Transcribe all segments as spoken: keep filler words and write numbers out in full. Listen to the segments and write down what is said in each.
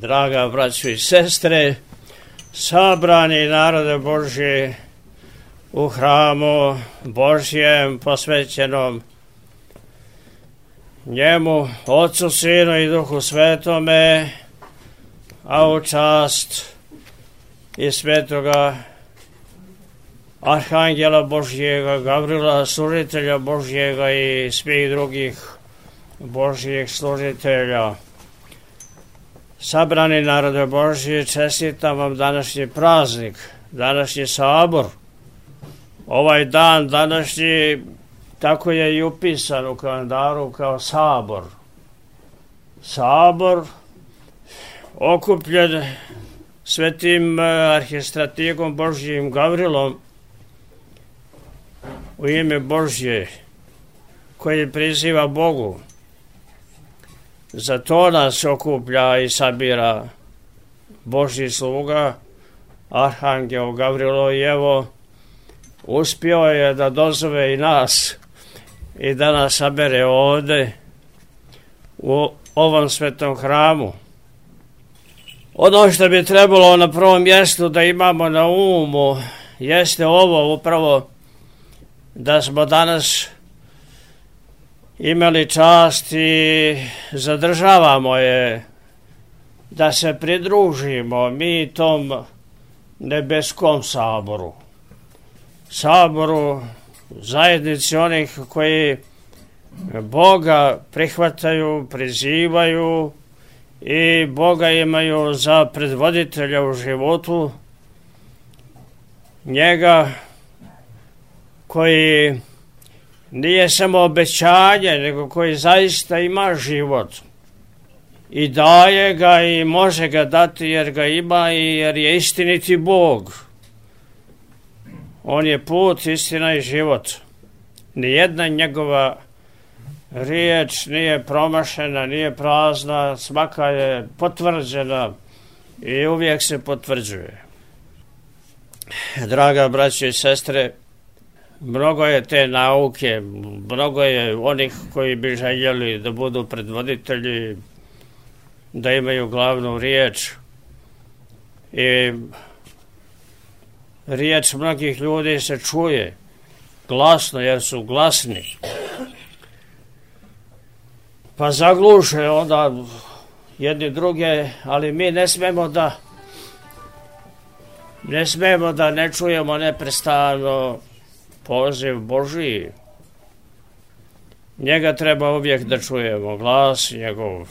Draga braćo i sestre, sabrani narode Božji u hramu Božjem posvećenom njemu, Otcu, Sinu i Duhu Svetome, a u čast i svetoga Arhangela Božjega, Gavrila, služitelja Božjega i svih drugih Božjih služitelja. Sabrani narode Božji, čestitam vam današnji praznik, današnji sabor. Ovaj dan današnji, tako je i upisan u kalendaru kao sabor. Sabor okupljen svetim arhistratigom Božjim Gavrilom u ime Božje, koji priziva Bogu. Za to nas okuplja i sabira Božji sluga, Arhangel Gavrilo, i evo, uspio je da dozove i nas i da nas sabere ovde u ovom svetom hramu. Ono što bi trebalo na prvom mjestu da imamo na umu jeste ovo upravo, da smo danas imali čast i zadržavamo je da se pridružimo mi tom nebeskom saboru. Saboru, zajednici onih koji Boga prihvataju, prizivaju i Boga imaju za predvoditelja u životu, njega koji nije samo obećanje, nego koji zaista ima život i daje ga i može ga dati jer ga ima i jer je istiniti Bog. On je put, istina i život. Nijedna njegova riječ nije promašena, nije prazna, svaka je potvrđena i uvijek se potvrđuje. Draga braćo i sestre, mnogo je te nauke, mnogo je onih koji bi željeli da budu predvoditelji, da imaju glavnu riječ. I riječ mnogih ljudi se čuje glasno jer su glasni. Pa zagluše onda jedni druge, ali mi ne smemo da ne smemo da ne čujemo neprestano poziv Božiji. Njega treba uvijek da čujemo, glas njegov.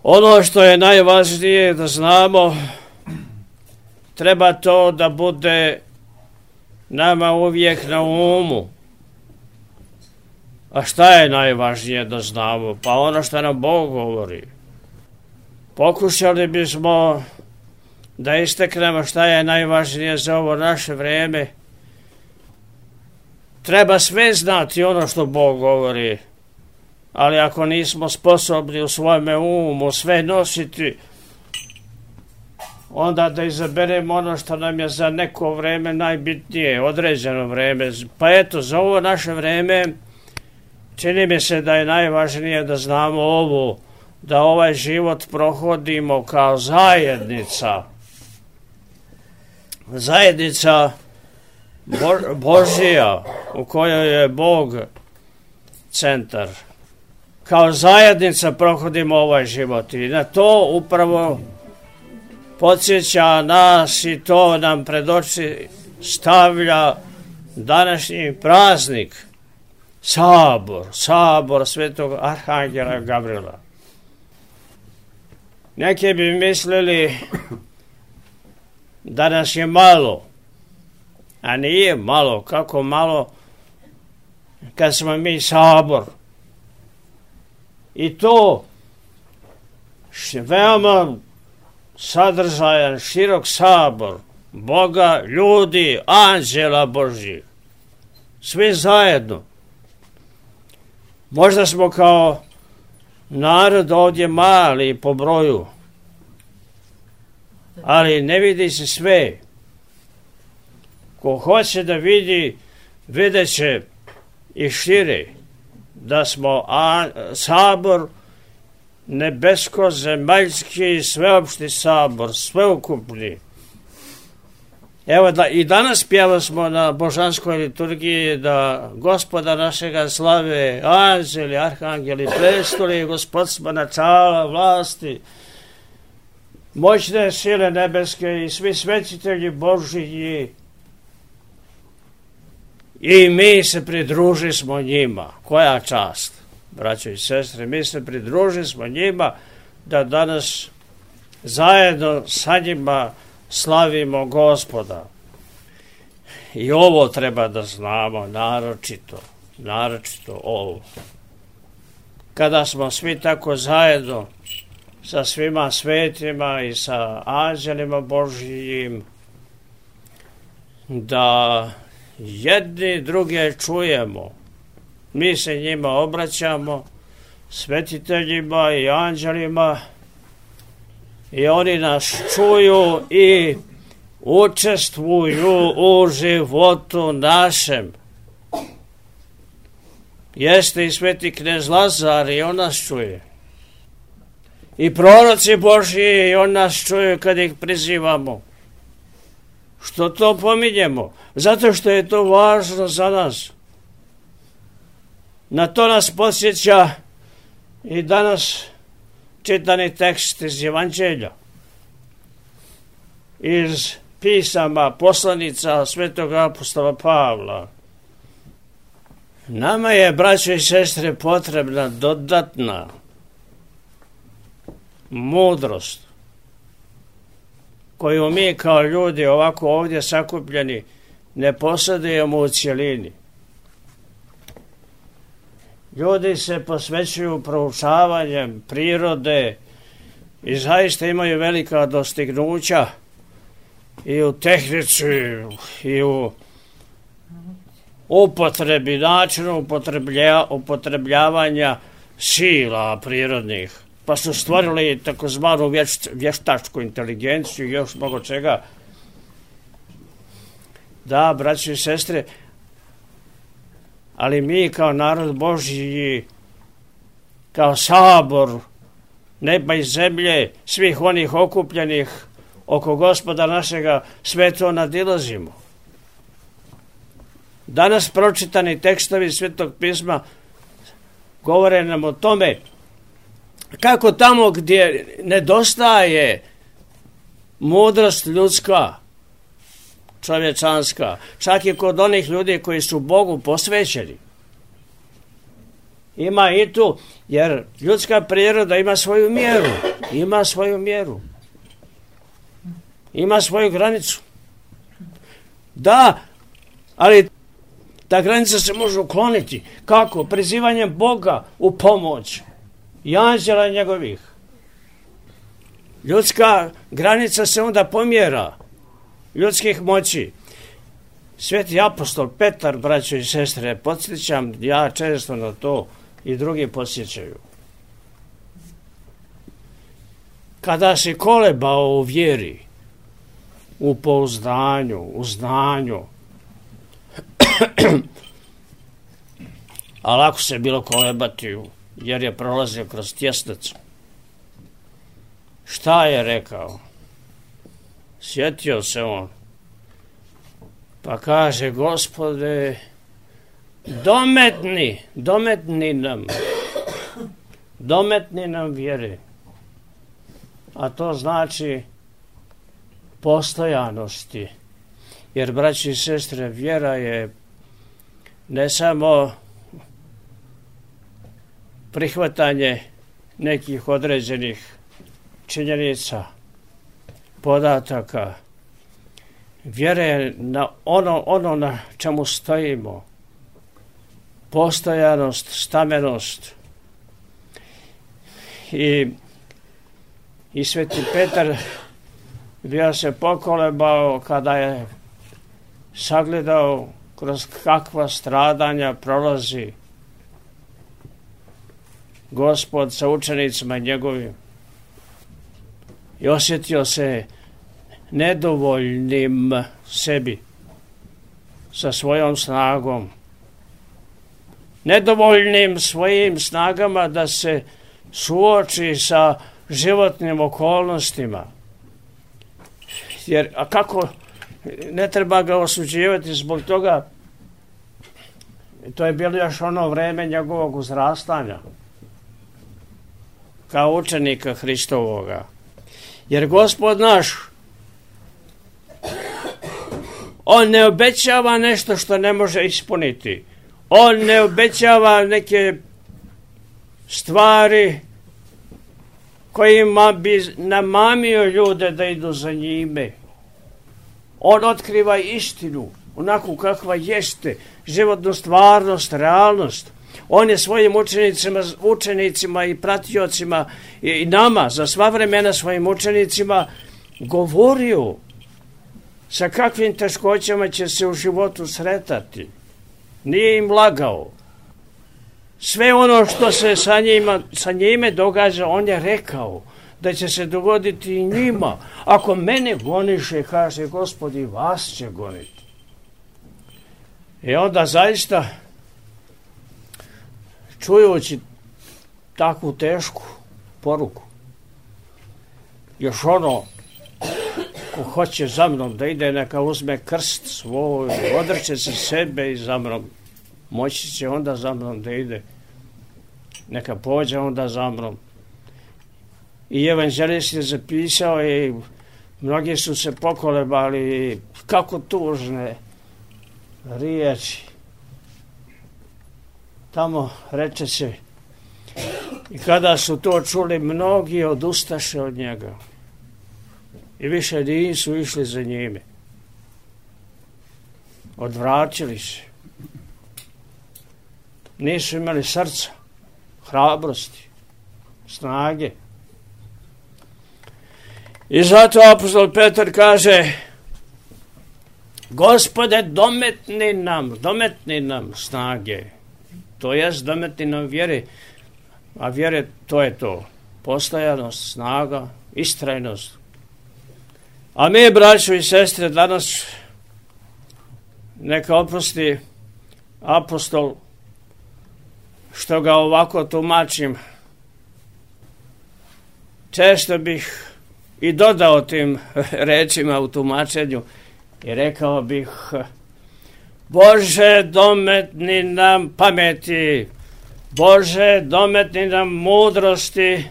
Ono što je najvažnije da znamo, treba to da bude nama uvijek na umu. A šta je najvažnije da znamo? Pa ono što nam Bog govori. Pokušali bismo da isteknemo šta je najvažnije za ovo naše vrijeme. Treba sve znati ono što Bog govori, ali ako nismo sposobni u svome umu sve nositi, onda da izaberemo ono što nam je za neko vrijeme najbitnije, određeno vrijeme. Pa eto, za ovo naše vrijeme čini mi se da je najvažnije da znamo ovo, da ovaj život prohodimo kao zajednica. Zajednica Bo- Božija u kojoj je Bog centar. Kao zajednica prohodimo ovaj život i na to upravo podsjeća nas i to nam pred oči stavlja današnji praznik, sabor, sabor svetog Arhangela Gavrila. Neki bi mislili da nas je malo, a nije malo. Kako malo kad smo mi sabor? I to veoma sadržajan, širok sabor Boga, ljudi, anđela Božjih. Svi zajedno. Možda smo kao narod ovdje mali po broju, ali ne vidi se sve. Ko hoće da vidi, vidjet će i šire da smo a, sabor nebesko-zemaljski sveopšti sabor, sveukupni. Evo da i danas pjeva smo na božanskoj liturgiji da Gospoda našega slave, anđeli, arhangeli, prestoli, gospodstva, načala, vlasti, moćne sile nebeske i svi svetitelji Božiji. I mi se pridruži smo njima. Koja čast, braćo i sestre, mi se pridruži smo njima da danas zajedno sa njima slavimo Gospoda. I ovo treba da znamo, naročito, naročito ovo. Kada smo svi tako zajedno sa svima svetima i sa anđelima Božijim, da jedni druge čujemo, mi se njima obraćamo, svetiteljima i anđelima, i oni nas čuju i učestvuju u životu našem. Jeste i sveti knez Lazar i on nas čuje. I proroci Božji i on nas čuje kad ih prizivamo. Što to pominjemo? Zato što je to važno za nas. Na to nas podsjeća i danas čitani tekst iz Evanđelja, iz pisama poslanica svetog apostola Pavla. Nama je, braćo i sestre, potrebna dodatna mudrost koju mi kao ljudi ovako ovdje sakupljeni ne posjedujemo u cjelini. Ljudi se posvećuju proučavanjem prirode i zaista imaju velika dostignuća i u tehnici i u upotrebi, načinu upotreblja, upotrebljavanja sila prirodnih. Pa su stvorili takozvanu vješt, vještačku inteligenciju i još mnogo čega. Da, braći i sestre, ali mi kao narod Božji, kao sabor neba i zemlje, svih onih okupljenih oko Gospoda našega, sve to nadilazimo. Danas pročitani tekstovi Svetog pisma govore nam o tome kako tamo gdje nedostaje mudrost ljudska, čovječanska, čak i kod onih ljudi koji su Bogu posvećeni. Ima i tu, jer ljudska priroda ima svoju mjeru, ima svoju mjeru, ima svoju granicu. Da, ali ta granica se može ukloniti. Kako? Prizivanjem Boga u pomoć i anđela njegovih. Ljudska granica se onda pomjera ljudskih moći. Sveti apostol Petar, braćo i sestre, podsjećam ja često na to i drugi podsjećaju. Kada si kolebao u vjeri, u pouzdanju, u znanju, a lako se bilo kolebati jer je prolazio kroz tjesnac. Šta je rekao? Sjetio se on, pa kaže: Gospode, dometni, dometni nam, dometni nam vjere. A to znači postojanosti. Jer, braći i sestre, vjera je ne samo prihvatanje nekih određenih činjenica, podataka. Vjera je na ono, ono na čemu stojimo. Postojanost, stamenost. I, i sveti Petar bio se pokolebao kada je sagledao kroz kakva stradanja prolazi Gospod sa učenicima njegovim. I osjetio se nedovoljnim sebi sa svojom snagom. Nedovoljnim svojim snagama da se suoči sa životnim okolnostima. Jer, a kako, ne treba ga osuđivati zbog toga, to je bilo još ono vreme njegovog uzrastanja kao učenika Hristovoga. Jer Gospod naš, on ne obećava nešto što ne može ispuniti. On ne obećava neke stvari kojima bi namamio ljude da idu za njime. On otkriva istinu, onako kakva jeste, životnu stvarnost, realnost. On je svojim učenicima, učenicima i pratiocima i nama, za sva vremena svojim učenicima, govorio sa kakvim teškoćama će se u životu sretati. Nije im lagao. Sve ono što se sa, njima, sa njime događa, on je rekao da će se dogoditi i njima. Ako mene goniše, kaže Gospod, i vas će goniti. I onda zaista, čujući takvu tešku poruku, još ono, ko hoće za mnom da ide, neka uzme krst svoj, odreće se sebe i za mnom, moći će onda za mnom da ide, neka pođe onda za mnom. I evanđelist je zapisao i mnogi su se pokolebali, kako tužne riječi. Tamo reče se, i kada su to čuli, mnogi odustaše od njega i više nisu išli za njime. Odvraćali se. Nisu imali srca, hrabrosti, snage. I zato apostol Petar kaže, Gospode, dometni nam, dometni nam snage. To jest dometni nam vjere, a vjere to je to. Postojanost, snaga, istrajnost. A mi, braćo i sestre, danas neka oprosti apostol što ga ovako tumačim. Često bih i dodao tim rečima u tumačenju i rekao bih, Bože, dometni nam pameti, Bože, dometni nam mudrosti.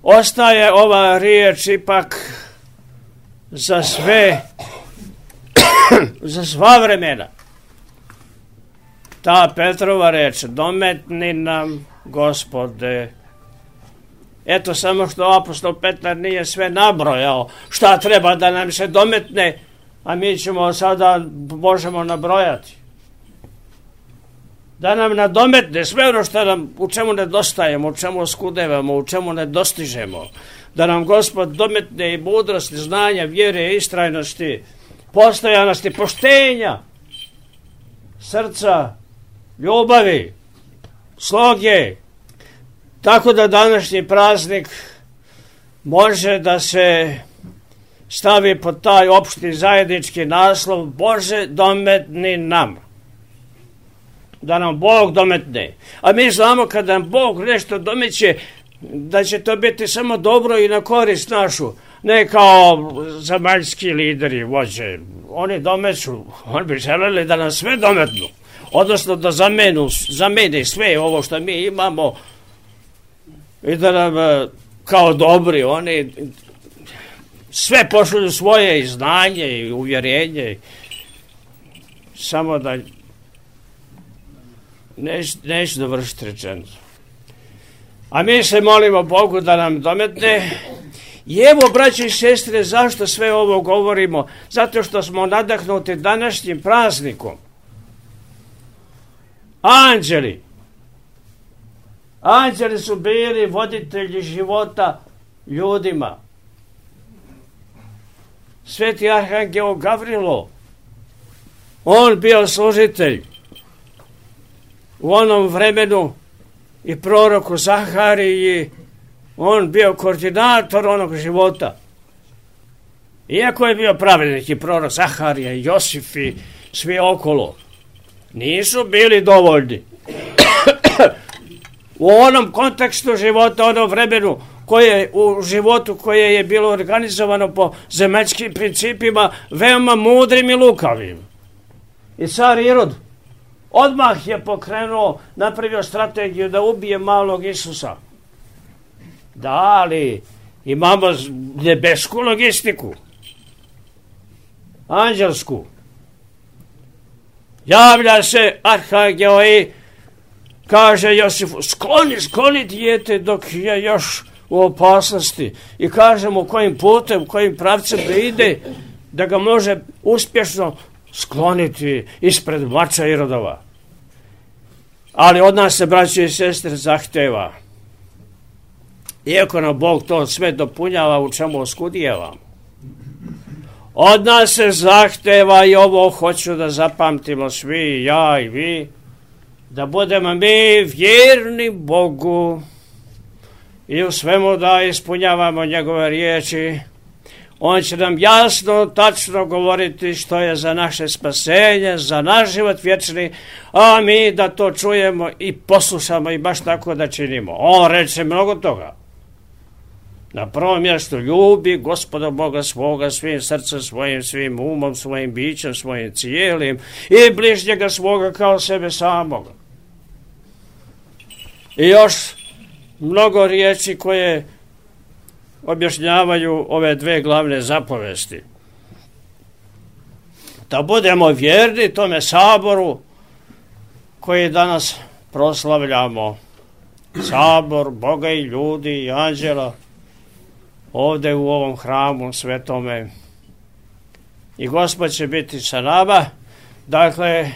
Ostaje ova riječ ipak za sve, za sva vremena. Ta Petrova reč, dometni nam, Gospode. Eto, samo što apostol Petar nije sve nabrojao šta treba da nam se dometne, a mi ćemo sada, možemo nabrojati. Da nam nadometne sve ono što nam, u čemu nedostajemo, u čemu skudevamo, u čemu ne dostižemo. Da nam Gospod dometne i mudrosti, znanja, vjere, istrajnosti, postojanosti, poštenja, srca, ljubavi, sloge, tako da današnji praznik može da se stavi pod taj opšti zajednički naslov, Bože, dometni nam. Da nam Bog dometne. A mi znamo kada nam Bog nešto domeće, da će to biti samo dobro i na korist našu. Ne kao zemaljski lideri, vođe. Oni domeću, oni bi želeli da nam sve dometnu. Odnosno da zamenu, zamene sve ovo što mi imamo i da nam kao dobri, oni sve pošalju svoje i znanje i uvjerenje. Samo da neć, neću dovršiti rečenicu. A mi se molimo Bogu da nam dometne. I evo, braći i sestre, zašto sve ovo govorimo? Zato što smo nadahnuti današnjim praznikom. Anđeli. Anđeli su bili voditelji života ljudima. Sveti arhangel Gavrilo, on bio služitelj u onom vremenu, i proroku Zahariji, on bio koordinator onog života. Iako je bio pravednik i prorok Zaharija, Josif i svi okolo, nisu bili dovoljni. u onom kontekstu života, onom vremenu koje, u životu koje je bilo organizovano po zemaljskim principima, veoma mudrim i lukavim. I car Irod odmah je pokrenuo, napravio strategiju da ubije malog Isusa. Da, ali imamo nebesku logistiku, anđelsku. Javlja se arhangel i kaže Josifu, skloni, skloni dijete dok je još u opasnosti. I kaže mu kojim putem, kojim pravcem da ide, da ga može uspješno skloniti ispred mača Irodova. Ali od nas se, braće i sestre, zahteva. Iako nam Bog to sve dopunjava, u čemu oskudijevamo. Od nas se zahteva, i ovo hoću da zapamtimo svi, ja i vi, da budemo mi vjerni Bogu i u svemu da ispunjavamo njegove riječi. On će nam jasno, tačno govoriti što je za naše spasenje, za naš život vječni, a mi da to čujemo i poslušamo i baš tako da činimo. On reče mnogo toga. Na prvom mjestu ljubi Gospoda Boga svoga svim srcem svojim, svim umom, svojim bićem, svojim cijelim i bližnjega svoga kao sebe samoga. I još mnogo riječi koje objašnjavaju ove dve glavne zapovesti. Da budemo vjerni tome saboru koji danas proslavljamo. Sabor Boga i ljudi i anđela ovdje u ovom hramu svetome. I Gospod će biti sa nama. Dakle,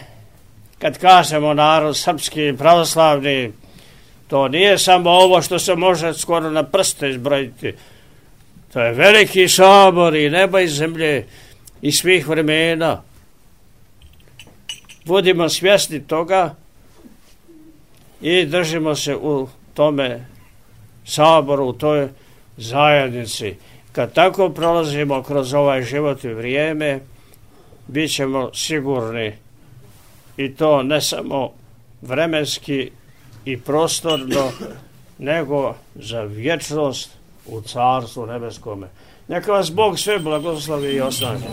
kad kažemo narod srpski pravoslavni, to nije samo ovo što se može skoro na prste izbrojiti. To je veliki sabor i neba i zemlje i svih vremena. Budimo svjesni toga i držimo se u tome saboru, u toj zajednici. Kad tako prolazimo kroz ovaj život i vrijeme, bit ćemo sigurni, i to ne samo vremenski i prostorno, nego za vječnost u Carstvu nebeskome. Neka vas Bog sve blagoslovi i osnaži.